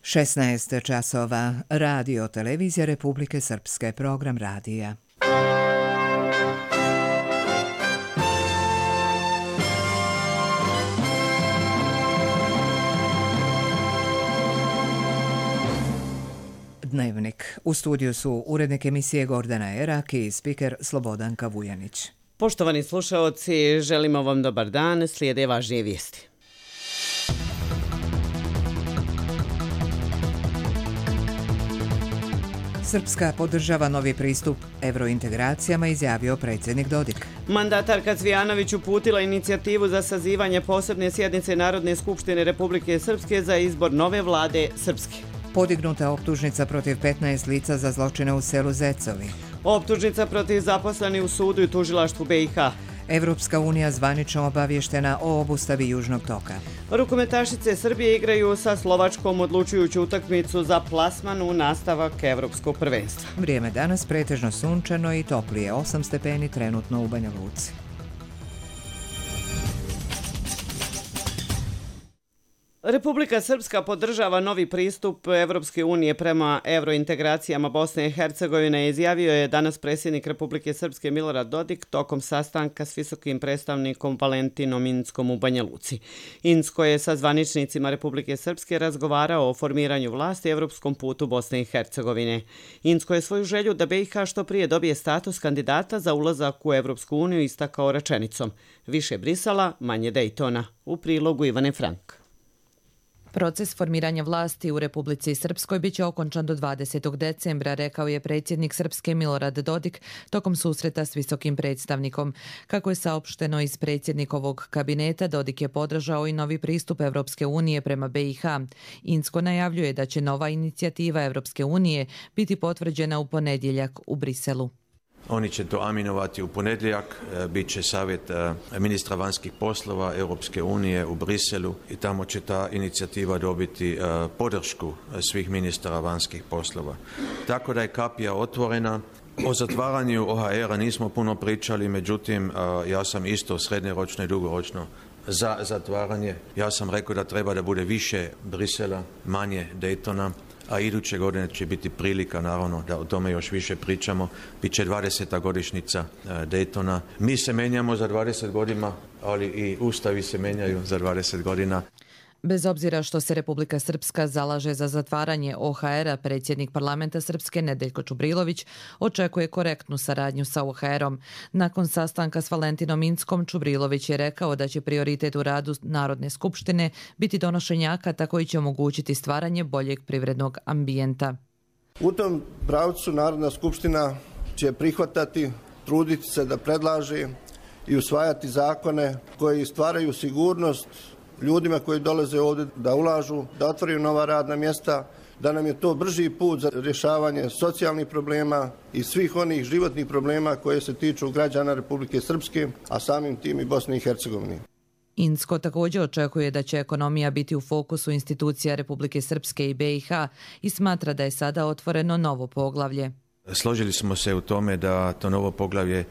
16 časova. Radio Televizija Republike Srpske, program radija. Dnevnik. U studiju su urednik emisije Gordana Erak i spiker Slobodanka Vujanić. Poštovani slušaoci, želimo vam dobar dan, slijede važnije vijesti. Srpska podržava novi pristup evrointegracijama, izjavio predsjednik Dodik. Mandatarka Cvijanović uputila inicijativu za sazivanje posebne sjednice Narodne skupštine Republike Srpske za izbor nove vlade Srpske. Podignuta optužnica protiv 15 lica za zločine u selu Zecovi. Optužnica protiv zaposlenih u sudu i tužilaštvu BiH. Evropska unija zvanično obavještena o obustavi Južnog toka. Rukometašice Srbije igraju sa Slovačkom odlučujuću utakmicu za plasman u nastavak evropskog prvenstva. Vrijeme danas pretežno sunčano i toplije, 8 stepeni trenutno u Banja Luci. Republika Srpska podržava novi pristup Evropske unije prema evrointegracijama Bosne i Hercegovine, izjavio je danas predsjednik Republike Srpske Milorad Dodik tokom sastanka s visokim predstavnikom Valentinom Inckom u Banja Luci. Incko je sa zvaničnicima Republike Srpske razgovarao o formiranju vlasti evropskom putu Bosne i Hercegovine. Incko je svoju želju da BiH što prije dobije status kandidata za ulazak u Evropsku uniju istakao rečenicom: više Brisela, manje Dejtona. U prilogu Ivane Frank. Proces formiranja vlasti u Republici Srpskoj biće okončan do 20. decembra, rekao je predsjednik Srpske Milorad Dodik tokom susreta s visokim predstavnikom. Kako je saopšteno iz predsjednikovog kabineta, Dodik je podržao i novi pristup Evropske unije prema BiH. Incko najavljuje da će nova inicijativa Evropske unije biti potvrđena u ponedjeljak u Briselu. Oni će to aminovati u ponedjeljak, bit će savjet ministra vanjskih poslova Europske unije u Briselu i tamo će ta inicijativa dobiti podršku svih ministara vanjskih poslova. Tako da je kapija otvorena. O zatvaranju OHR-a nismo puno pričali, međutim ja sam isto srednjoročno i dugoročno za zatvaranje. Ja sam rekao da treba da bude više Brisela, manje Daytona, a iduće godine će biti prilika, naravno, da o tome još više pričamo. Biće 20. godišnjica Daytona. Mi se menjamo za 20 godina, ali i ustavi se menjaju za 20 godina. Bez obzira što se Republika Srpska zalaže za zatvaranje OHR-a, predsjednik parlamenta Srpske Nedeljko Čubrilović očekuje korektnu saradnju sa OHR-om. Nakon sastanka s Valentinom Inckom, Čubrilović je rekao da će prioritet u radu Narodne skupštine biti donošenje akata koji će omogućiti stvaranje boljeg privrednog ambijenta. U tom pravcu Narodna skupština će prihvatati, truditi se da predlaže i usvajati zakone koji stvaraju sigurnost ljudima koji dolaze ovdje da ulažu, da otvaraju nova radna mjesta, da nam je to brži put za rješavanje socijalnih problema i svih onih životnih problema koje se tiču građana Republike Srpske, a samim tim i Bosne i Hercegovine. Incko također očekuje da će ekonomija biti u fokusu institucija Republike Srpske i BiH i smatra da je sada otvoreno novo poglavlje. Složili smo se u tome da to novo poglavlje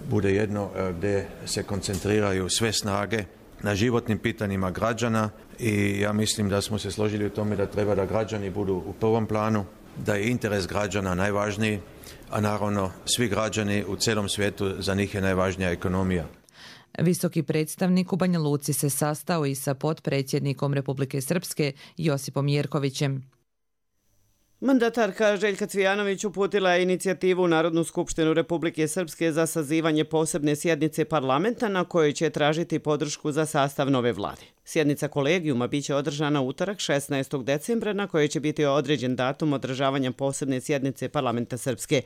bude jedno gdje se koncentriraju sve snage na životnim pitanjima građana i ja mislim da smo se složili u tome da treba da građani budu u prvom planu, da je interes građana najvažniji, a naravno svi građani u cijelom svijetu, za njih je najvažnija ekonomija. Visoki predstavnik u Banja Luci se sastao i sa potpredsjednikom Republike Srpske Josipom Jerkovićem. Mandatarka Željka Cvijanović uputila je inicijativu u Narodnu skupštinu Republike Srpske za sazivanje posebne sjednice parlamenta na kojoj će tražiti podršku za sastav nove vlade. Sjednica kolegijuma biće održana utorak 16. decembra na kojoj će biti određen datum održavanja posebne sjednice parlamenta Srpske.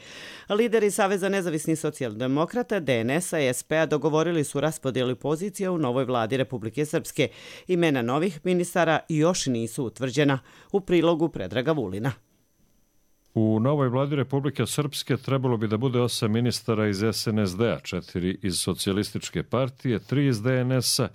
Lideri Saveza nezavisnih socijaldemokrata, DNS-a i SP-a dogovorili su raspodjelu pozicija u novoj vladi Republike Srpske. Imena novih ministara još nisu utvrđena. U prilogu Predraga Vulina. U novoj vladi Republike Srpske trebalo bi da bude 8 ministara iz SNSD-a, 4 iz Socijalističke partije, 3 iz DNS-a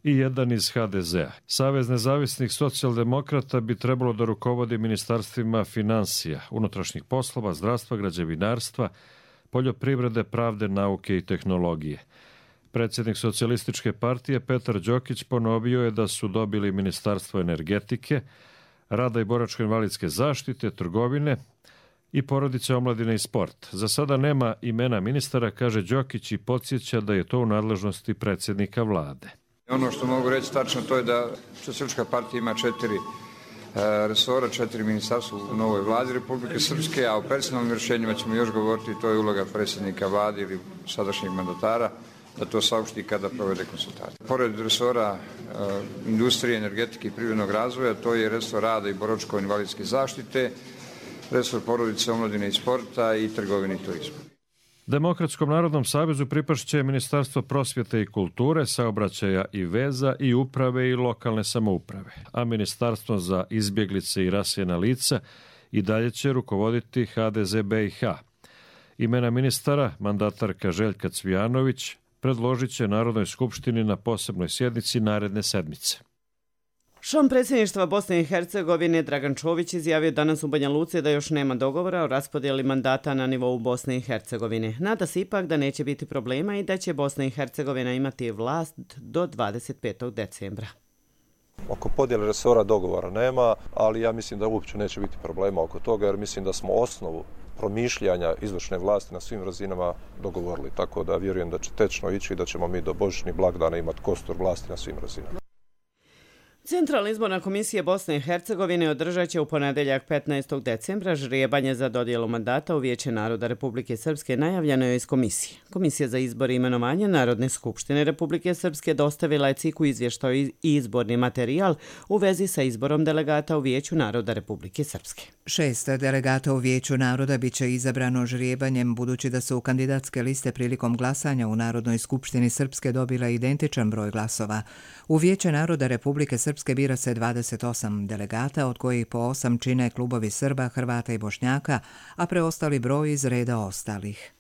i 1 iz HDZ-a. Savez nezavisnih socijaldemokrata bi trebalo da rukovodi ministarstvima finansija, unutrašnjih poslova, zdravstva, građevinarstva, poljoprivrede, pravde, nauke i tehnologije. Predsjednik Socijalističke partije Petar Đokić ponovio je da su dobili Ministarstvo energetike, rada i boračko-invalidske zaštite, trgovine i porodice, omladine i sport. Za sada nema imena ministara, kaže Đokić, i podsjeća da je to u nadležnosti predsjednika vlade. Ono što mogu reći tačno to je da Socijalistička partija ima 4 resora, 4 ministarstva u novoj vladi Republike Srpske, a o personalnim rješenjima ćemo još govoriti, to je uloga predsjednika vlade ili sadašnjeg mandatara, da to saopšti kada provede konsultacije. Pored resora industrije, energetike i privrednog razvoja, to je resor rada i boračko-invalidske zaštite, resor porodice, omladine i sporta i trgovine i turizma. Demokratskom narodnom savezu pripašće Ministarstvo prosvjete i kulture, saobraćaja i veza i uprave i lokalne samouprave, a Ministarstvo za izbjeglice i raseljena lica i dalje će rukovoditi HDZ BiH. Imena ministara mandatarka Željka Cvijanović predložit će Narodnoj skupštini na posebnoj sjednici naredne sedmice. Šef predsjedništva Bosne i Hercegovine Dragan Čović izjavio danas u Banja Luci da još nema dogovora o raspodjeli mandata na nivou Bosne i Hercegovine. Nada se ipak da neće biti problema i da će Bosna i Hercegovina imati vlast do 25. decembra. Oko podjele resora dogovora nema, ali ja mislim da uopće neće biti problema oko toga, jer mislim da smo osnovu promišljanja izvršne vlasti na svim razinama dogovorili. Tako da vjerujem da će tečno ići i da ćemo mi do božićnih blagdana imati kostur vlasti na svim razinama. Centralna izborna komisija Bosne i Hercegovine održat će u ponedjeljak 15. decembra žrijebanje za dodjelu mandata u Vijeće naroda Republike Srpske, najavljeno je iz komisije. Komisija za izbor i imenovanje Narodne skupštine Republike Srpske dostavila je CIK-u izvještaj i izborni materijal u vezi sa izborom delegata u Vijeću naroda Republike Srpske. 6 delegata u Vijeću naroda bit će izabrano žrijebanjem, budući da su kandidatske liste prilikom glasanja u Narodnoj skupštini Srpske dobila identičan broj glasova. U Vijeće naroda Republike Srpske bira se 28 delegata, od kojih po 8 čine klubovi Srba, Hrvata i Bošnjaka, a preostali broj iz reda ostalih.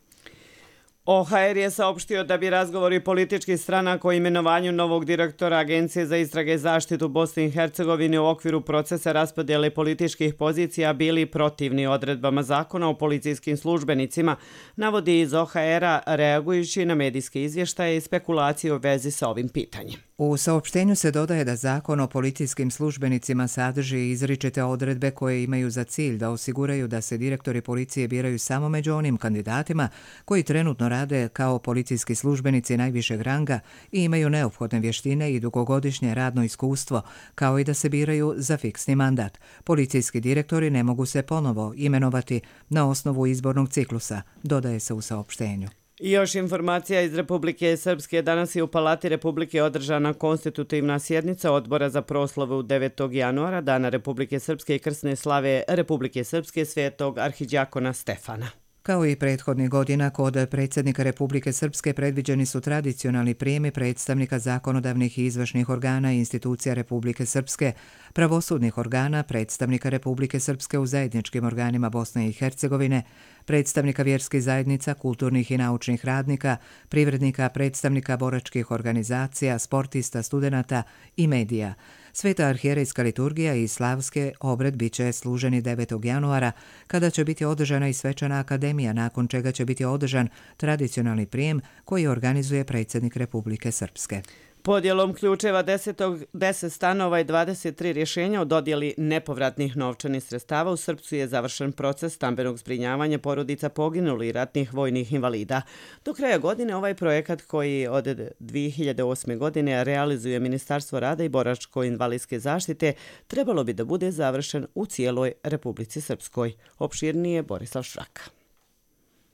OHR je saopštio da bi razgovori političkih stranaka o imenovanju novog direktora Agencije za istrage i zaštitu Bosne i Hercegovine u okviru procesa raspodjele političkih pozicija bili protivni odredbama zakona o policijskim službenicima, navodi iz OHR-a reagujući na medijske izvještaje i spekulacije u vezi sa ovim pitanjem. U saopštenju se dodaje da zakon o policijskim službenicima sadrži izričite odredbe koje imaju za cilj da osiguraju da se direktori policije biraju samo među onim kandidatima koji trenutno rade kao policijski službenici najvišeg ranga i imaju neophodne vještine i dugogodišnje radno iskustvo, kao i da se biraju za fiksni mandat. Policijski direktori ne mogu se ponovo imenovati na osnovu izbornog ciklusa, dodaje se u saopštenju. I još informacija iz Republike Srpske. Danas je u Palati Republike održana konstitutivna sjednica Odbora za proslavu 9. januara, Dana Republike Srpske i krsne slave Republike Srpske svetog arhidjakona Stefana. Kao i prethodnih godina, kod predsjednika Republike Srpske predviđeni su tradicionalni prijemi predstavnika zakonodavnih i izvršnih organa i institucija Republike Srpske, pravosudnih organa, predstavnika Republike Srpske u zajedničkim organima Bosne i Hercegovine, predstavnika vjerskih zajednica, kulturnih i naučnih radnika, privrednika, predstavnika boračkih organizacija, sportista, studenata i medija. Sveta arhijerejska liturgija i slavske obred bit će služeni 9. januara, kada će biti održana i svečana akademija, nakon čega će biti održan tradicionalni prijem koji organizuje predsjednik Republike Srpske. Podjelom ključeva 10 stanova i 23 rješenja o dodjeli nepovratnih novčanih sredstava u Srpcu je završen proces stambenog zbrinjavanja porodica poginulih ratnih vojnih invalida. Do kraja godine ovaj projekat, koji od 2008. godine realizuje Ministarstvo rada i boračko-invalidske zaštite, trebalo bi da bude završen u cijeloj Republici Srpskoj. Opširnije Borislav Šraka.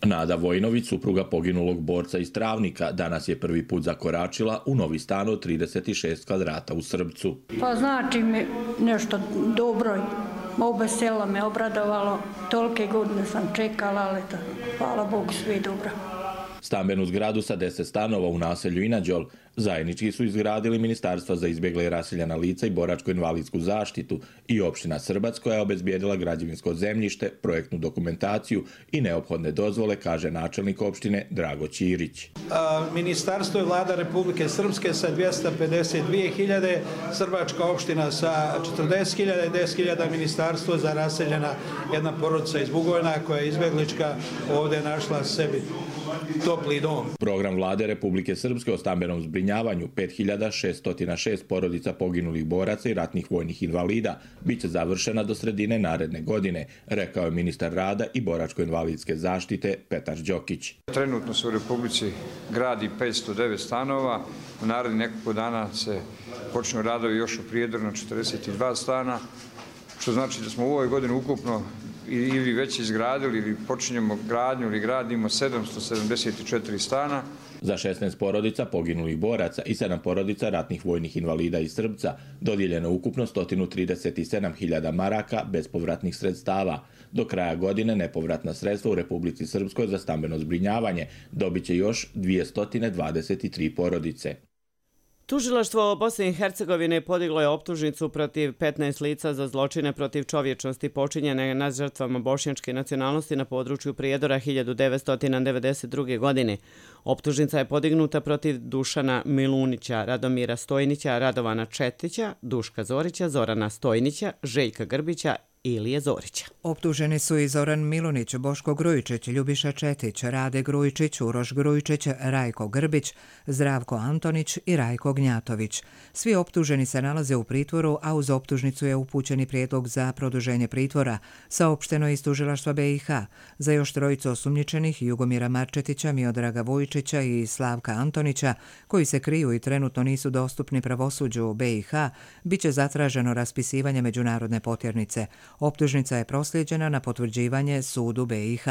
Nada Vojnović, supruga poginulog borca iz Travnika, danas je prvi put zakoračila u novi stan od 36 kvadrata u Srbcu. Pa znači mi nešto dobro, oba sela me obradovalo, tolike godine sam čekala, ali hvala Bogu sve dobro. Stambenu zgradu sa 10 stanova u naselju Inađol zajednički su izgradili Ministarstva za izbjegle i raseljena lica i boračko-invalidsku zaštitu i opština Srbac, koja je obezbijedila građevinsko zemljište, projektnu dokumentaciju i neophodne dozvole, kaže načelnik opštine Drago Ćirić. Ministarstvo je vlada Republike Srpske sa 252.000, Srbačka opština sa 40.000, 10.000 ministarstvo za raseljena jedna porodica iz Bugojna koja je izbjeglička ovdje našla sebi topli dom. Program vlade Republike Srpske o stambenom zbrinjavanju 5606 porodica poginulih boraca i ratnih vojnih invalida biće završena do sredine naredne godine, rekao je ministar rada i boračko-invalidske zaštite Petar Đokić. Trenutno se u Republici gradi 509 stanova, u narednih nekoliko dana se počnu radovi još u Prijedoru na 42 stana, što znači da smo u ovoj godini ukupno ili već izgradili ili počinjemo gradnju ili gradimo 774 stana. Za 16 porodica poginulih boraca i 7 porodica ratnih vojnih invalida iz Srbca dodijeljeno ukupno 137.000 maraka bespovratnih sredstava. Do kraja godine nepovratna sredstva u Republici Srpskoj za stambeno zbrinjavanje dobit će još 223 porodice. Tužilaštvo Bosne i Hercegovine podiglo je optužnicu protiv 15 lica za zločine protiv čovječnosti počinjene nad žrtvama bošnjačke nacionalnosti na području Prijedora 1992. godine. Optužnica je podignuta protiv Dušana Milunića, Radomira Stojnića, Radovana Četića, Duška Zorića, Zorana Stojnića, Željka Grbića Ilije Zorića. Optuženi su i Zoran Milunić, Boško Grujičić, Ljubiša Četić, Rade Grujičić, Uroš Grujičić, Rajko Grbić, Zdravko Antonić i Rajko Gnjatović. Svi optuženi se nalaze u pritvoru, a uz optužnicu je upućeni prijedlog za produženje pritvora, saopšteno iz tužilaštva BiH. Za još trojicu osumnjičenih, Jugomira Marčetića, Miodraga Vujičića i Slavka Antonića, koji se kriju i trenutno nisu dostupni pravosuđu u BiH, biće zatraženo raspisivanje međunarodne potjernice. Optužnica je proslijeđena na potvrđivanje sudu BiH.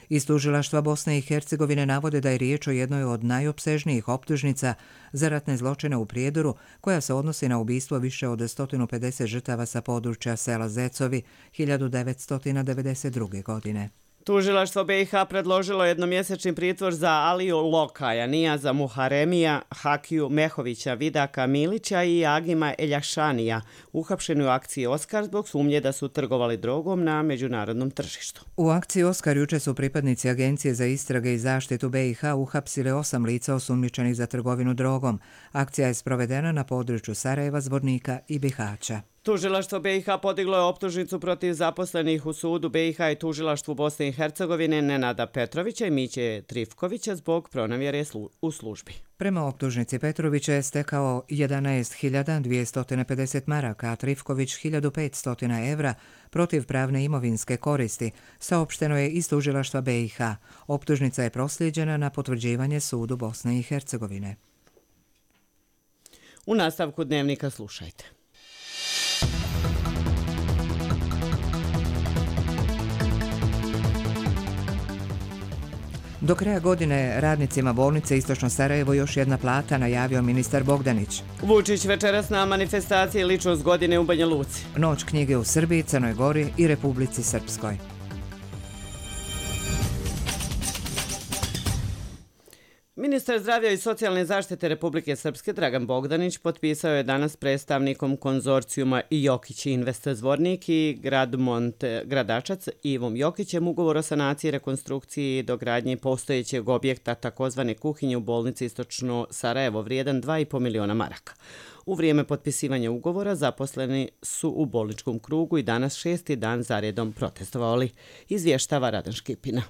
Iz tužilaštva Bosne i Hercegovine navode da je riječ o jednoj od najopsežnijih optužnica za ratne zločine u Prijedoru, koja se odnosi na ubistvo više od 150 žrtava sa područja sela Zecovi 1992. godine. Tužilaštvo BiH predložilo jednomjesečni pritvor za Aliju Lokaja, Nijaza Muharemija, Hakiju Mehovića, Vidaka Milića i Agima Eljašanija, uhapšeni u akciji Oskar zbog sumnje da su trgovali drogom na međunarodnom tržištu. U akciji Oskar juče su pripadnici Agencije za istrage i zaštitu BiH uhapsili 8 lica osumnjičenih za trgovinu drogom. Akcija je sprovedena na području Sarajeva, Zvornika i Bihaća. Tužilaštvo BiH podiglo je optužnicu protiv zaposlenih u sudu BiH i tužilaštvu Bosne i Hercegovine Nenada Petrovića i Miće Trifkovića zbog pronevjere u službi. Prema optužnici Petrovića je stekao 11.250 maraka, a Trifković 1.500 evra protiv pravne imovinske koristi, saopšteno je iz tužilaštva BiH. Optužnica je proslijeđena na potvrđivanje sudu Bosne i Hercegovine. U nastavku dnevnika slušajte. Do kraja godine radnicima bolnice Istočno Sarajevo još jedna plata, najavio ministar Bogdanić. Vučić večeras na manifestaciji Ličnost godine u Banja Luci. Noć knjige u Srbiji, Crnoj Gori i Republici Srpskoj. Ministar zdravlja i socijalne zaštite Republike Srpske Dragan Bogdanić potpisao je danas s predstavnikom konzorcijuma Jokić Invest Zvornik i Gradmont Gradačac Ivom Jokićem ugovor o sanaciji, rekonstrukciji i dogradnji postojećeg objekta takozvane kuhinje u bolnici Istočno Sarajevo vrijedan 2,5 miliona maraka. U vrijeme potpisivanja ugovora zaposleni su u bolničkom krugu i danas 6. dan zaredom protestovali, izvještava Radan Škipina.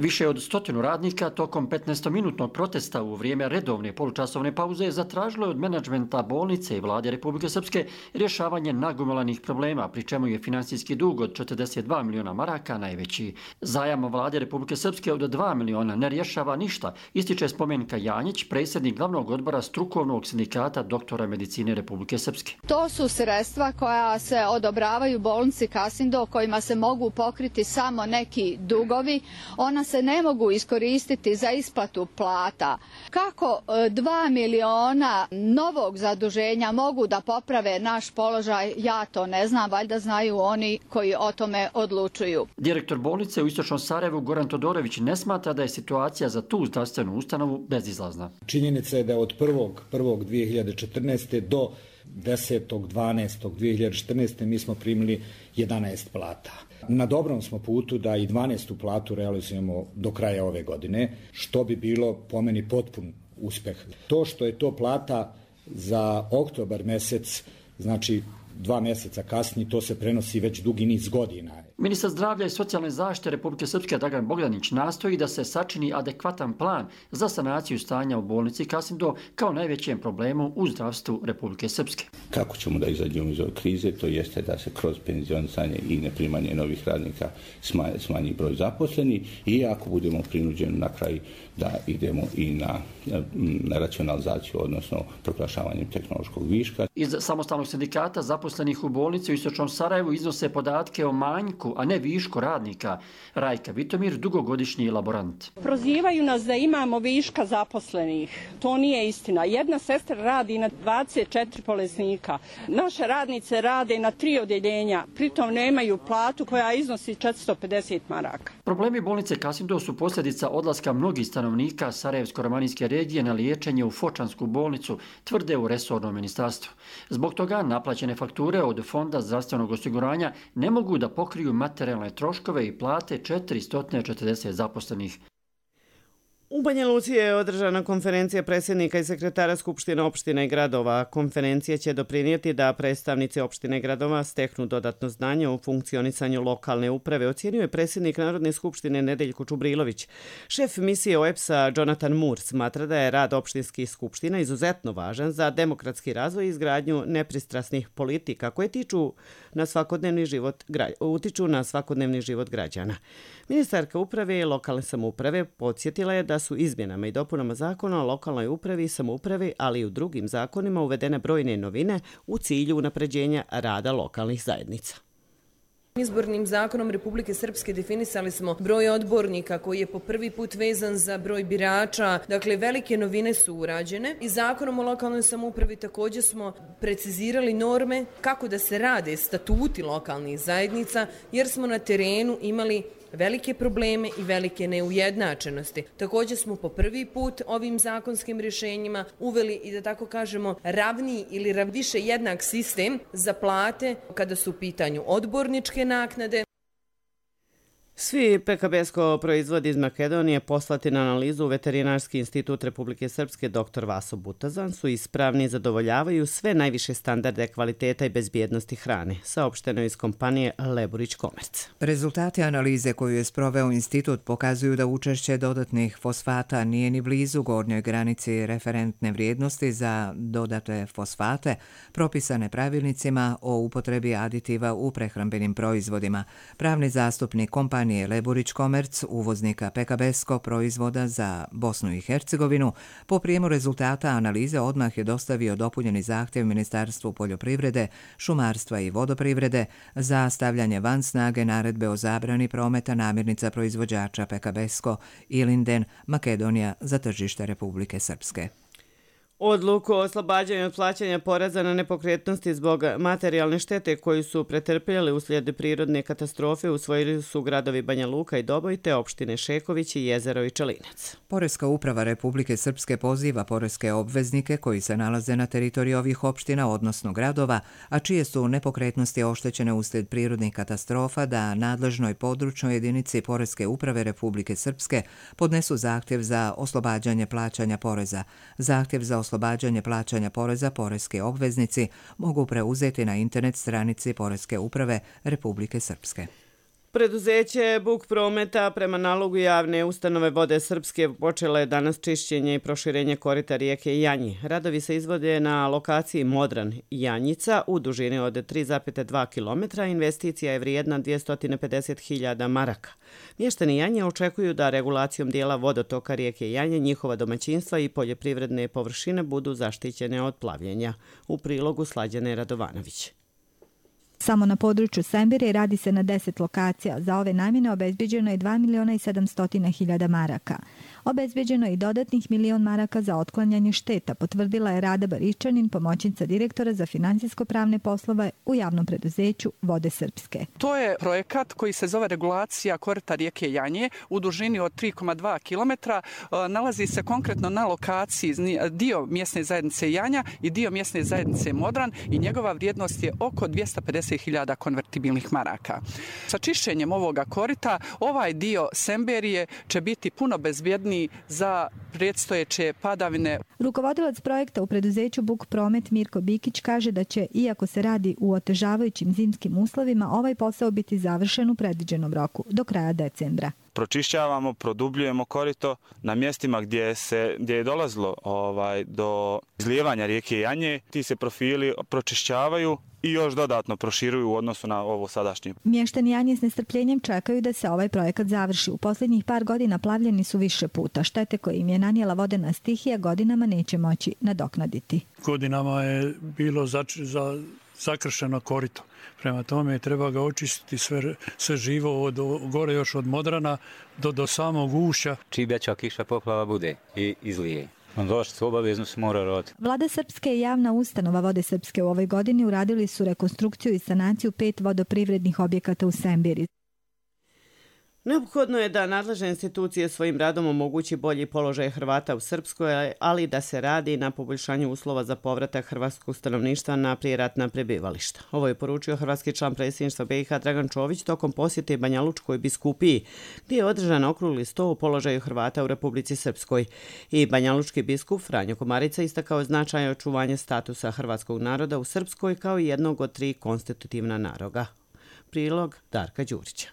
Više od 100 radnika tokom 15-minutnog protesta u vrijeme redovne polučasovne pauze zatražilo je od menadžmenta bolnice i vlade Republike Srpske rješavanje nagomilanih problema, pri čemu je finansijski dug od 42 miliona maraka najveći. Zajam vlade Republike Srpske od 2 miliona ne rješava ništa, ističe Spomenka Janjić, predsjednik glavnog odbora strukovnog sindikata doktora medicine Republike Srpske. To su sredstva koja se odobravaju bolnici Kasindo, kojima se mogu pokriti samo neki dugovi. Ona se ne mogu iskoristiti za isplatu plata. Kako 2 miliona novog zaduženja mogu da poprave naš položaj, ja to ne znam, valjda znaju oni koji o tome odlučuju. Direktor bolnice u Istočnom Sarajevu Goran Todorović ne smatra da je situacija za tu zdravstvenu ustanovu bezizlazna. Činjenica je da od 1.1.2014. do 10.12.2014. mi smo primili 11 plata. Na dobrom smo putu da i 12. platu realizujemo do kraja ove godine, što bi bilo po meni potpun uspjeh. To što je to plata za oktobar mjesec, znači 2 mjeseca kasnije, to se prenosi već dugi niz godina. Ministar zdravlja i socijalne zaštite Republike Srpske Dragan Bogdanić nastoji da se sačini adekvatan plan za sanaciju stanja u bolnici Kasindo kao najvećem problemu u zdravstvu Republike Srpske. Kako ćemo da izađemo iz ove krize, to jeste da se kroz penzionisanje i neprimanje novih radnika smanji broj zaposlenih i ako budemo prinuđeni na kraj da idemo i na racionalizaciju, odnosno proglašavanjem tehnološkog viška. Iz samostalnog sindikata zaposlenih u bolnici u Istočnom Sarajevu iznose podatke o manjku, a ne višku radnika. Rajka Vitomir, dugogodišnji laborant. Prozivaju nas da imamo viška zaposlenih. To nije istina. Jedna sestra radi na 24 bolesnika. Naše radnice rade na 3 odjeljenja. Pritom nemaju platu koja iznosi 450 maraka. Problemi bolnice Kasindo su posljedica odlaska mnogih stanovnika Sarajevsko-romanijske regije na liječenje u Fočansku bolnicu, tvrde u resornom ministarstvu. Zbog toga naplaćene fakture od Fonda zdravstvenog osiguranja ne mogu da pokriju materijalne troškove i plate 440 zaposlenih. U Banja Luci je održana konferencija predsjednika i sekretara Skupštine opština i gradova. Konferencija će doprinijeti da predstavnici opštine i gradova steknu dodatno znanje o funkcionisanju lokalne uprave, ocjenio je predsjednik Narodne skupštine Nedeljko Čubrilović. Šef misije OEBS-a Jonathan Moore smatra da je rad opštinskih skupština izuzetno važan za demokratski razvoj i izgradnju nepristrasnih politika koje utiču na svakodnevni život građana. Ministarka uprave i lokalne samouprave podsjetila je da su izmjenama i dopunama zakona o lokalnoj upravi i samoupravi, ali i u drugim zakonima uvedene brojne novine u cilju unapređenja rada lokalnih zajednica. Izbornim zakonom Republike Srpske definisali smo broj odbornika koji je po prvi put vezan za broj birača. Dakle, velike novine su urađene i zakonom o lokalnoj samoupravi također smo precizirali norme kako da se rade statuti lokalnih zajednica jer smo na terenu imali velike probleme i velike neujednačenosti. Također smo po prvi put ovim zakonskim rješenjima uveli i da tako kažemo ravniji ili više jednak sistem za plate kada su u pitanju odborničke naknade. Svi PKB-sko proizvodi iz Makedonije poslati na analizu u Veterinarski institut Republike Srpske dr. Vaso Butazan su ispravni i zadovoljavaju sve najviše standarde kvaliteta i bezbjednosti hrane, saopšteno iz kompanije Leburić Komerc. Rezultati analize koju je sproveo institut pokazuju da učešće dodatnih fosfata nije ni blizu gornjoj granici referentne vrijednosti za dodate fosfate propisane pravilnicima o upotrebi aditiva u prehrambenim proizvodima. Pravni zastupnik kompanije Leburić Komerc, uvoznika PKB-skog proizvoda za Bosnu i Hercegovinu, po prijemu rezultata analize odmah je dostavio dopunjeni zahtjev Ministarstvu poljoprivrede, šumarstva i vodoprivrede za stavljanje van snage naredbe o zabrani prometa namirnica proizvođača PKB-sko Ilinden, Makedonija za tržište Republike Srpske. Odluku o oslobađanju od plaćanja poreza na nepokretnosti zbog materijalne štete koju su pretrpjeli uslijed prirodne katastrofe usvojili su gradovi Banja Luka i Doboj te opštine Šeković i Jezero i Čelinac. Poreska uprava Republike Srpske poziva poreske obveznike koji se nalaze na teritoriji ovih opština, odnosno gradova, a čije su nepokretnosti oštećene uslijed prirodnih katastrofa, da nadležnoj područnoj jedinici Poreske uprave Republike Srpske podnesu zahtjev za oslobađanje plaćanja poreza. Zahtjev za oslobađanje plaćanja poreza poreske obveznici mogu preuzeti na internet stranici Poreske uprave Republike Srpske. Preduzeće Buk prometa prema nalogu javne ustanove Vode Srpske počela je danas čišćenje i proširenje korita rijeke Janji. Radovi se izvode na lokaciji Modran Janjica u dužini od 3,2 km. Investicija je vrijedna 250.000 maraka. Mještani Janje očekuju da regulacijom dijela vodotoka rijeke Janje njihova domaćinstva i poljoprivredne površine budu zaštićene od plavljenja. U prilogu Slađane Radovanović. Samo na području Sembire radi se na 10 lokacija. Za ove namjene obezbeđeno je 2.700.000 maraka. Obezbeđeno je i dodatnih 1.000.000 maraka za otklanjanje šteta, potvrdila je Rada Baričanin, pomoćnica direktora za financijsko-pravne poslove u javnom preduzeću Vode Srpske. To je projekat koji se zove regulacija korita rijeke Janje u dužini od 3,2 km. Nalazi se konkretno na lokaciji dio mjesne zajednice Janja i dio mjesne zajednice Modran i njegova vrijednost je oko 250.000 konvertibilnih maraka. Sa čišćenjem ovoga korita ovaj dio Semberije će biti puno bezbjedniji spremni za predstojeće padavine. Rukovodilac projekta u preduzeću Buk Promet Mirko Bikić kaže da će, iako se radi u otežavajućim zimskim uslovima, ovaj posao biti završen u predviđenom roku, do kraja decembra. Pročišćavamo, produbljujemo korito na mjestima gdje je dolazilo do izlijevanja rijeke Janje. Ti se profili pročišćavaju i još dodatno proširuju u odnosu na ovo sadašnje. Mještani Janje s nestrpljenjem čekaju da se ovaj projekat završi. U posljednjih par godina plavljeni su više puta. Štete koje im je nanijela vodena stihija godinama neće moći nadoknaditi. Godinama je bilo zakršeno korito. Prema tome treba ga očistiti sve živo od gore još od Modrana do samog ušća. Čim veća kiša poplava bude i izlije. Došli obavezno se mora raditi. Vlada Srpske i javna ustanova Vode Srpske u ovoj godini uradili su rekonstrukciju i sanaciju 5 vodoprivrednih objekata u Sembiri. Neophodno je da nadležne institucije svojim radom omogući bolji položaj Hrvata u Srpskoj, ali da se radi na poboljšanju uslova za povratak hrvatskog stanovništva na prijeratna prebivališta. Ovo je poručio hrvatski član predsjedništva BiH Dragan Čović tokom posjete Banja Lučkoj biskupiji, gdje je održan okrugli sto o položaju Hrvata u Republici Srpskoj. I Banja Lučki biskup Franjo Komarica istakao značaj očuvanja statusa hrvatskog naroda u Srpskoj kao jednog od 3 konstitutivna naroda. Prilog Darka Đurića.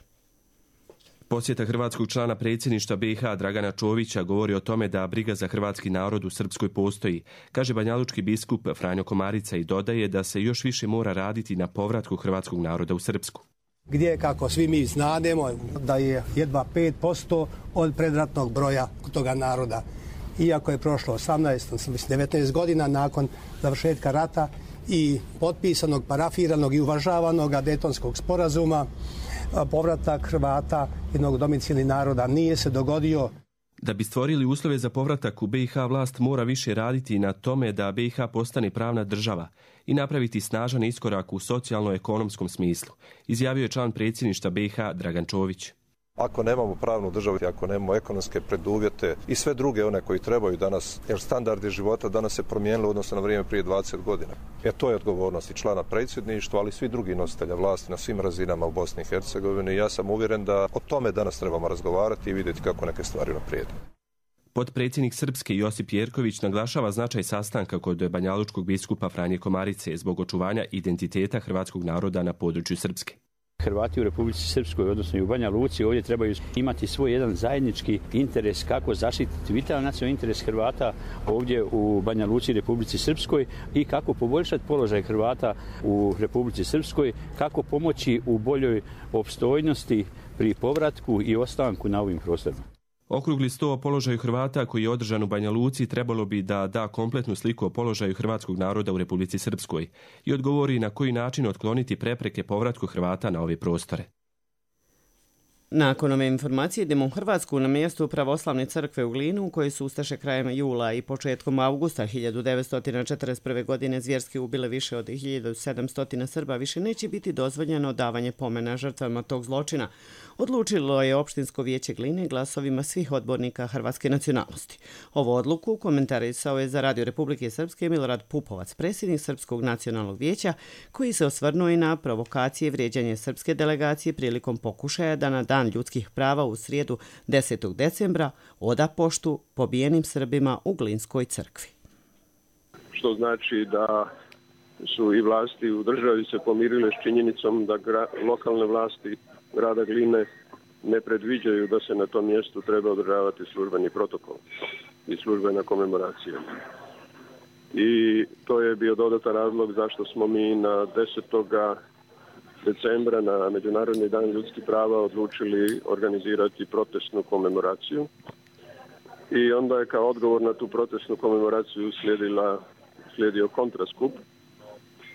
Posjeta hrvatskog člana predsjedništva BiH Dragana Čovića govori o tome da briga za hrvatski narod u Srpskoj postoji, kaže banjalučki biskup Franjo Komarica i dodaje da se još više mora raditi na povratku hrvatskog naroda u Srpsku. Gdje, kako svi mi znademo, da je jedva 5% od predratnog broja toga naroda. Iako je prošlo 19 godina nakon završetka rata i potpisanog, parafiranog i uvažavanog Dejtonskog sporazuma, povratak Hrvata, jednog domicilnih naroda, nije se dogodio. Da bi stvorili uslove za povratak u BiH, vlast mora više raditi na tome da BiH postane pravna država i napraviti snažan iskorak u socijalno-ekonomskom smislu, izjavio je član predsjedništva BiH Dragan Čović. Ako nemamo pravnu državu, ako nemamo ekonomske preduvjete i sve druge one koji trebaju danas, jer standardi života danas se promijenili u odnosu na vrijeme prije 20 godina. To je odgovornost i člana predsjedništva, ali i svi drugi nositelja vlasti na svim razinama u Bosni i Hercegovini. Ja sam uvjeren da o tome danas trebamo razgovarati i vidjeti kako neke stvari naprijede. Potpredsjednik Srpske Josip Jerković naglašava značaj sastanka kod banjalučkog biskupa Franje Komarice zbog očuvanja identiteta hrvatskog naroda na području Srpske. Hrvati u Republici Srpskoj, odnosno i u Banja Luci, ovdje trebaju imati svoj jedan zajednički interes kako zaštititi vitalan nacionalni interes Hrvata ovdje u Banja Luci i Republici Srpskoj i kako poboljšati položaj Hrvata u Republici Srpskoj, kako pomoći u boljoj opstojnosti pri povratku i ostanku na ovim prostorima. Okrugli sto o položaju Hrvata koji je održan u Banja Luci trebalo bi da da kompletnu sliku o položaju hrvatskog naroda u Republici Srpskoj i odgovori na koji način otkloniti prepreke povratku Hrvata na ove prostore. Nakon ove informacije idemo u Hrvatsku na mjestu pravoslavne crkve u Glinu, u kojoj su ustaše krajem jula i početkom augusta 1941. godine zvjerski ubile više od 1700 Srba, više neće biti dozvoljeno davanje pomena žrtvama tog zločina. Odlučilo je opštinsko vijeće Gline glasovima svih odbornika hrvatske nacionalnosti. Ovu odluku komentarisao je za Radio Republike Srpske Milorad Pupovac, predsjednik Srpskog nacionalnog vijeća, koji se osvrnuo i na provokacije i vrijeđanje srpske delegacije prilikom pokušaja da na Dan ljudskih prava u srijedu 10. decembra oda poštu pobijenim Srbima u Glinskoj crkvi. Što znači da su i vlasti u državi se pomirile s činjenicom da lokalne vlasti grada Gline ne predviđaju da se na tom mjestu treba održavati službeni protokol i službena komemoracija. I to je bio dodatan razlog zašto smo mi na 10. decembra na Međunarodni dan ljudskih prava odlučili organizirati protestnu komemoraciju. I onda je kao odgovor na tu protestnu komemoraciju slijedio kontraskup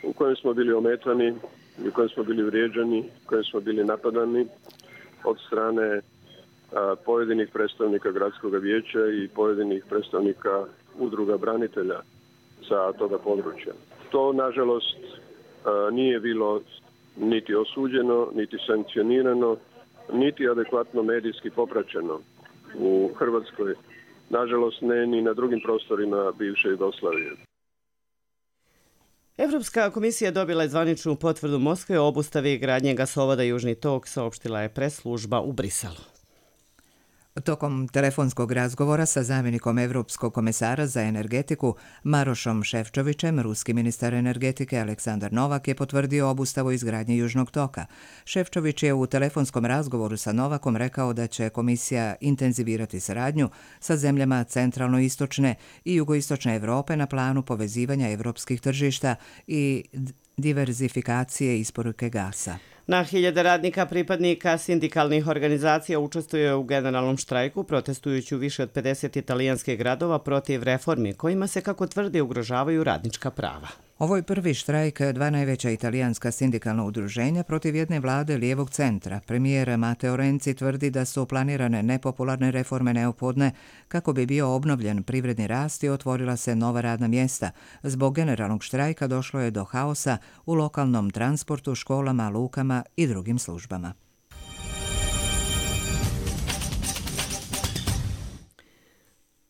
u kojem smo bili ometani, u kojem smo bili vrijeđani, u kojem smo bili napadani od strane pojedinih predstavnika gradskog vijeća i pojedinih predstavnika udruga branitelja sa toga područja. To, nažalost, nije bilo niti osuđeno, niti sankcionirano, niti adekvatno medijski popraćeno u Hrvatskoj. Nažalost, ne ni na drugim prostorima bivše Jugoslavije. Evropska komisija dobila je zvaničnu potvrdu Moskve o obustavi gradnje gasovoda Južni tok, saopštila je press služba u Briselu. Tokom telefonskog razgovora sa zamjenikom Evropskog komesara za energetiku Marošom Šefčovićem, ruski ministar energetike Aleksandar Novak je potvrdio obustavu izgradnje Južnog toka. Šefčović je u telefonskom razgovoru sa Novakom rekao da će komisija intenzivirati saradnju sa zemljama centralno-istočne i jugoistočne Evrope na planu povezivanja evropskih tržišta i diverzifikacije isporuke gasa. Na hiljade radnika pripadnika sindikalnih organizacija učestvuje u generalnom štrajku, protestujući u više od 50 italijanskih gradova protiv reformi, kojima se, kako tvrdi, ugrožavaju radnička prava. Ovo je prvi štrajk dva najveća italijanska sindikalna udruženja protiv jedne vlade lijevog centra. Premijer Matteo Renzi tvrdi da su planirane nepopularne reforme neophodne kako bi bio obnovljen privredni rast i otvorila se nova radna mjesta. Zbog generalnog štrajka došlo je do haosa u lokalnom transportu, školama, lukama i drugim službama.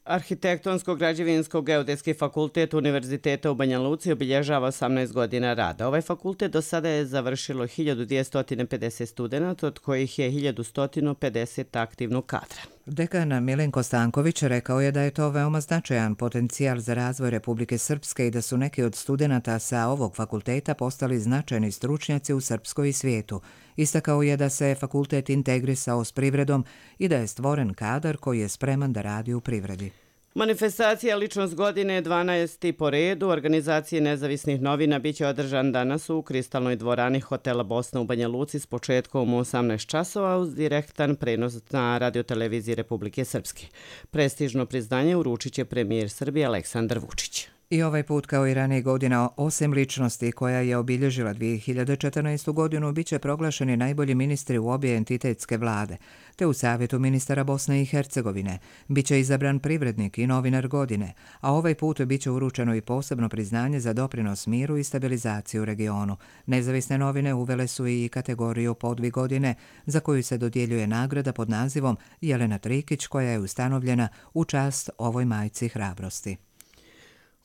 Arhitektonsko-građevinsko-geodetski fakultet Univerziteta u Banja Luci obilježava 18 godina rada. Ovaj fakultet do sada je završilo 1250 studenata, od kojih je 1150 aktivnog kadra. Dekan Milenko Stanković rekao je da je to veoma značajan potencijal za razvoj Republike Srpske i da su neki od studenata sa ovog fakulteta postali značajni stručnjaci u Srpskoj i svijetu. Istakao je da se fakultet integrisao s privredom i da je stvoren kadar koji je spreman da radi u privredi. Manifestacija Ličnost godine 12. po redu organizacije nezavisnih novina biće održan danas u Kristalnoj dvorani hotela Bosna u Banja Luci s početkom u 18 časova uz direktan prenos na radioteleviziji Republike Srpske. Prestižno priznanje uručit će premijer Srbije Aleksandar Vučić. I ovaj put, kao i ranije godina, osim ličnosti koja je obilježila 2014. godinu, bit će proglašeni najbolji ministri u obje entitetske vlade, te u Savjetu ministara Bosne i Hercegovine. Biće izabran privrednik i novinar godine, a ovaj put bit će uručeno i posebno priznanje za doprinos miru i stabilizaciju u regionu. Nezavisne novine uvele su i kategoriju podvig godine, za koju se dodjeljuje nagrada pod nazivom Jelena Trikić, koja je ustanovljena u čast ovoj majci hrabrosti.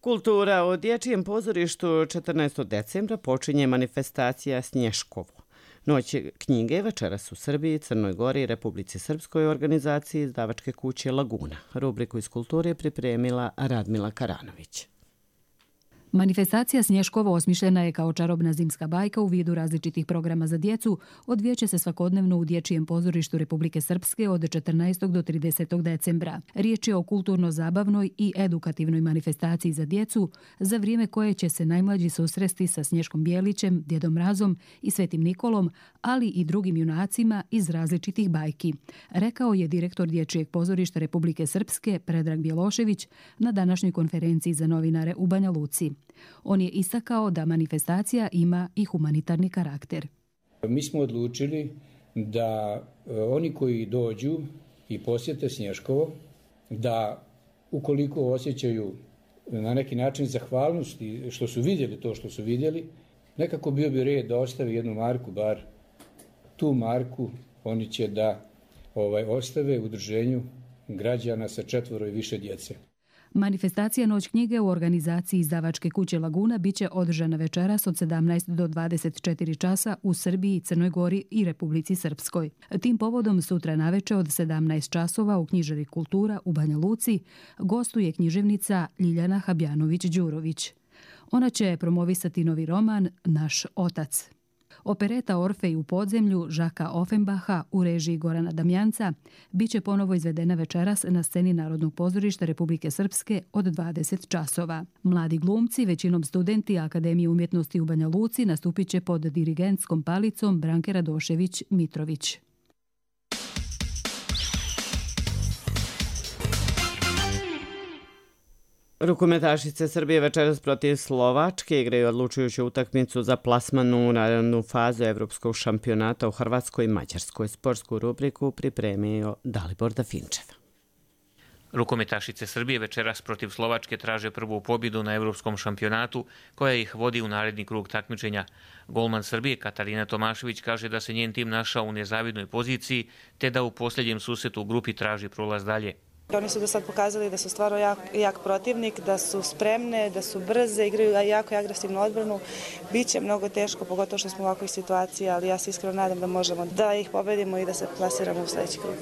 Kultura. U Dječjem pozorištu 14. decembra počinje manifestacija Snješkovo. Noć knjige večeras u Srbiji, Crnoj Gori i Republici Srpskoj organizaciji izdavačke kuće Laguna. Rubriku iz kulture je pripremila Radmila Karanović. Manifestacija Snješkovo osmišljena je kao čarobna zimska bajka u vidu različitih programa za djecu. Odvijeće se svakodnevno u Dječjem pozorištu Republike Srpske od 14. do 30. decembra. Riječ je o kulturno-zabavnoj i edukativnoj manifestaciji za djecu, za vrijeme koje će se najmlađi susresti sa Snješkom Bijelićem, Djedom Mrazom i Svetim Nikolom, ali i drugim junacima iz različitih bajki, rekao je direktor Dječjeg pozorišta Republike Srpske Predrag Bjelošević na današnjoj konferenciji za novinare u Banja Luci. On je istakao da manifestacija ima i humanitarni karakter. Mi smo odlučili da oni koji dođu i posjete Snješkovo, da ukoliko osjećaju na neki način zahvalnosti što su vidjeli to što su vidjeli, nekako bio bi red da ostavi jednu marku, bar tu marku oni će da ostave u udruženju građana sa 4 i više djece. Manifestacija Noć knjige u organizaciji izdavačke kuće Laguna biće održana večeras od 17 do 24 časa u Srbiji, Crnoj Gori i Republici Srpskoj. Tim povodom sutra naveče od 17 časova u knjižari Kultura u Banja Luci gostuje književnica Ljiljana Habjanović-Đurović. Ona će promovisati novi roman Naš otac. Opereta Orfej u podzemlju Žaka Offenbacha u režiji Gorana Damjanca biće ponovo izvedena večeras na sceni Narodnog pozorišta Republike Srpske od 20 časova. Mladi glumci, većinom studenti Akademije umjetnosti u Banja Luci, nastupit će pod dirigentskom palicom Branke Radošević-Mitrović. Rukometašice Srbije večeras protiv Slovačke igraju odlučujuću utakmicu za plasman u narednu fazu Evropskog šampionata u Hrvatskoj i Mađarskoj. Sportsku rubriku pripremio Dalibor Dafinčev. Rukometašice Srbije večeras protiv Slovačke traže prvu pobjedu na Evropskom šampionatu koja ih vodi u naredni krug takmičenja. Golman Srbije Katarina Tomašević kaže da se njen tim našao u nezavidnoj poziciji te da u posljednjem susretu u grupi traži prolaz dalje. Oni su do sad pokazali da su stvarno jak protivnik, da su spremne, da su brze, igraju jako agresivnu odbranu. Biće mnogo teško, pogotovo što smo u ovakvoj situaciji, ali ja se iskreno nadam da možemo da ih pobedimo i da se plasiramo u sljedeći krug.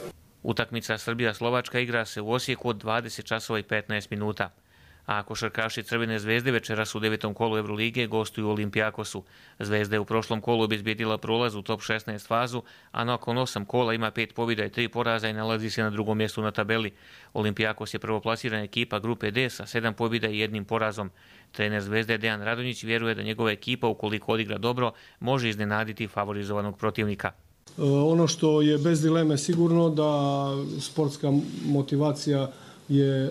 Utakmica Srbija-Slovačka igra se u Osijeku od 20 časova i 15 minuta. A košarkaši Crvene zvezde večeras u 9. kolu Evrolige gostuju Olimpijakosu. Zvezda je u prošlom kolu obezbijedila prolaz u top 16 fazu, a nakon 8 kola ima 5 pobjeda i 3 poraza i nalazi se na drugom mjestu na tabeli. Olimpijakos je prvoplasirana ekipa grupe D sa 7 pobjeda i 1 porazom. Trener Zvezde Dejan Radonjić vjeruje da njegova ekipa, ukoliko odigra dobro, može iznenaditi favorizovanog protivnika. Ono što je bez dileme sigurno da sportska motivacija je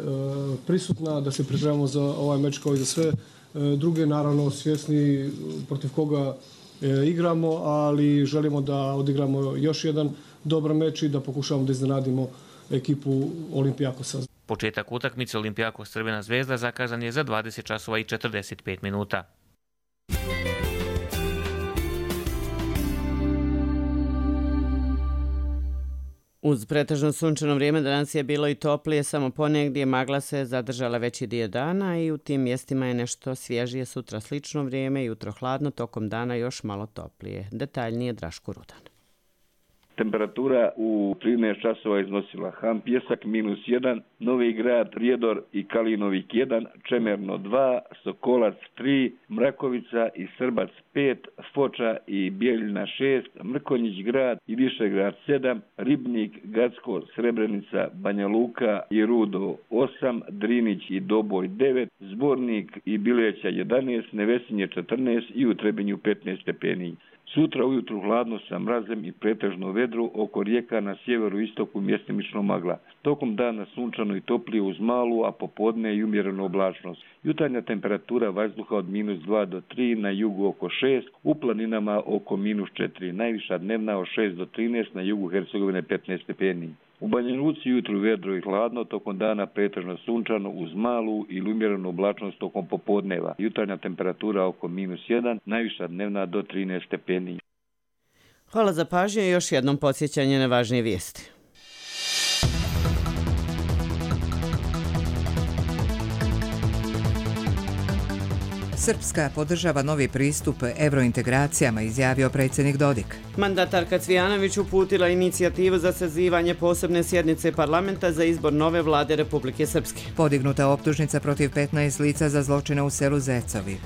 prisutna, da se pripremamo za ovaj meč kao i za sve druge, naravno svjesni protiv koga igramo, ali želimo da odigramo još jedan dobar meč i da pokušamo da iznenadimo ekipu Olimpijakosa. Početak utakmice Olimpijakos Crvena zvezda zakazan je za 20 časova i 45 minuta. Uz pretežno sunčano vrijeme danas je bilo i toplije, samo ponegdje magla se zadržala veći dio dana i u tim mjestima je nešto svježije, sutra slično vrijeme, jutro hladno, tokom dana još malo toplije. Detaljnije Draško Rudan. Temperatura u 13 časova iznosila Ham Pjesak -1, Novi Grad, Prijedor i Kalinovik 1, Čemerno 2, Sokolac 3, Mrakovica i Srbac 5, Foča i Bijeljina 6, Mrkonjić Grad i Višegrad 7, Ribnik, Gacko, Srebrenica, Banja Luka i Rudo 8, Drinić i Doboj 9, Zbornik i Bileća 11, Nevesinje 14 i u Trebinju 15 stepeni. Sutra ujutru hladno sa mrazem i pretežno vedru, oko rijeka na sjeveru i istoku mjestimično magla. Tokom dana sunčano i toplije uz malu, a popodne i umjerenu oblačnost. Jutarnja temperatura vazduha od -2 do 3, na jugu oko 6, u planinama oko -4, najviša dnevna od 6 do 13, na jugu Hercegovine 15 stepeni. U Banja Luci jutru vedro i hladno, tokom dana pretežno sunčano uz malu ili umjerenu oblačnost tokom popodneva. Jutarnja temperatura oko -1, najviša dnevna do 13 stepeni. Hvala za pažnju i još jednom podsjećanje na važnije vijesti. Srpska podržava novi pristup evrointegracijama, izjavio predsjednik Dodik. Mandatarka Cvijanović uputila inicijativu za sazivanje posebne sjednice parlamenta za izbor nove vlade Republike Srpske. Podignuta optužnica protiv 15 lica za zločine u selu Zecovi.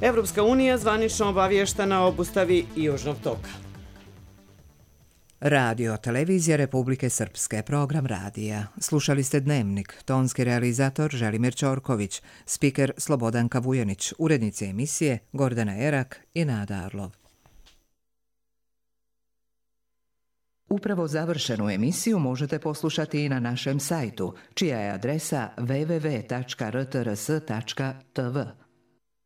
Evropska unija zvanično obavještena o obustavi Južnog toka. Radio televizija Republike Srpske, program radija. Slušali ste Dnevnik, tonski realizator Želimir Ćorković, spiker Slobodanka Vujanić, urednici emisije Gordana Erak i Nada Arlov. Upravo završenu emisiju možete poslušati i na našem sajtu, čija je adresa www.rtrs.tv.